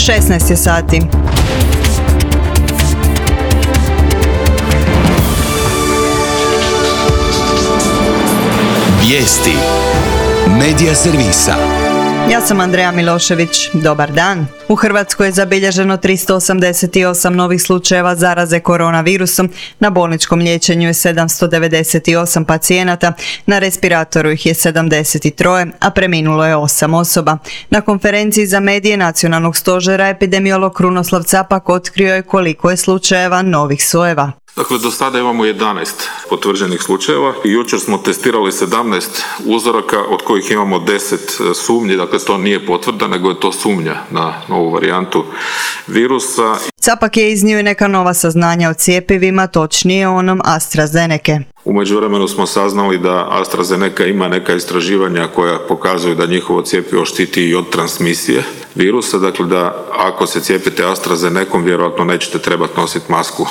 16 je sati. Vijesti Medija servisa. Ja sam Andreja Milošević. Dobar dan. U Hrvatskoj je zabilježeno 388 novih slučajeva zaraze koronavirusom, na bolničkom liječenju je 798 pacijenata, na respiratoru ih je 73, a preminulo je 8 osoba. Na konferenciji za medije Nacionalnog stožera epidemiolog Krunoslav Capak otkrio je koliko je slučajeva novih sojeva. Dakle, do sada imamo 11 potvrđenih slučajeva i jučer smo testirali 17 uzoraka, od kojih imamo 10 sumnji, dakle to nije potvrda, nego je to sumnja na novu varijantu virusa. Capak je iznio i neka nova saznanja o cjepivima, točnije o onom AstraZenece. U međuvremenu smo saznali da AstraZeneca ima neka istraživanja koja pokazuju da njihovo cjepivo štiti i od transmisije virusa, dakle da ako se cijepite AstraZenecom vjerojatno nećete trebati nositi masku.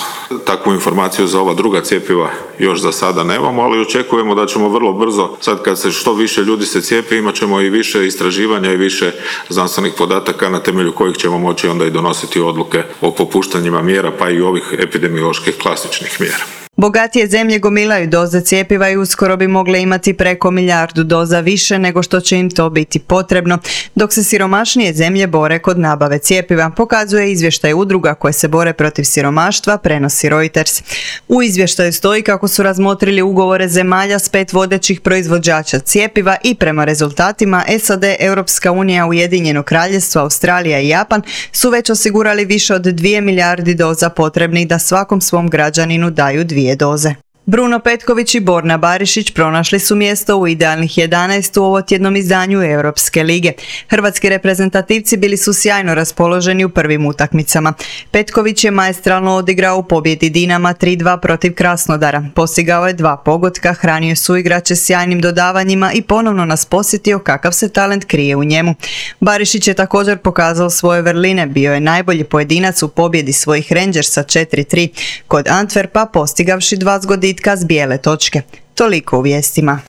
Takvu informaciju za ova druga cjepiva još za sada nemamo, ali očekujemo da ćemo vrlo brzo, sad kad se što više ljudi se cijepi, imat ćemo i više istraživanja i više znanstvenih podataka na temelju kojih ćemo moći onda i donositi odluke o popuštanjima mjera, pa i ovih epidemioloških klasičnih mjera. Bogatije zemlje gomilaju doze cjepiva i uskoro bi mogle imati preko 1 milijardu doza više nego što će im to biti potrebno, dok se siromašnije zemlje bore kod nabave cjepiva, pokazuje izvještaj udruga koje se bore protiv siromaštva, prenosi Reuters. U izvještaju stoji kako su razmotrili ugovore zemalja s 5 vodećih proizvođača cjepiva i prema rezultatima SAD, Europska unija, Ujedinjeno Kraljevstvo, Australija i Japan su već osigurali više od 2 milijardi doza potrebnih da svakom svom građaninu daju 2 doze. Bruno Petković i Borna Barišić pronašli su mjesto u idealnih 11 u ovotjednom izdanju Europske lige. Hrvatski reprezentativci bili su sjajno raspoloženi u prvim utakmicama. Petković je maestralno odigrao u pobjedi Dinama 3-2 protiv Krasnodara. Postigao je 2 pogotka, hranio suigrače sjajnim dodavanjima i ponovno nas posjetio kakav se talent krije u njemu. Barišić je također pokazao svoje vrline, bio je najbolji pojedinac u pobjedi svojih Rangersa 4-3 kod Antwerpa, postigavši 2 zgoditka s bijele točke. Toliko u vijestima.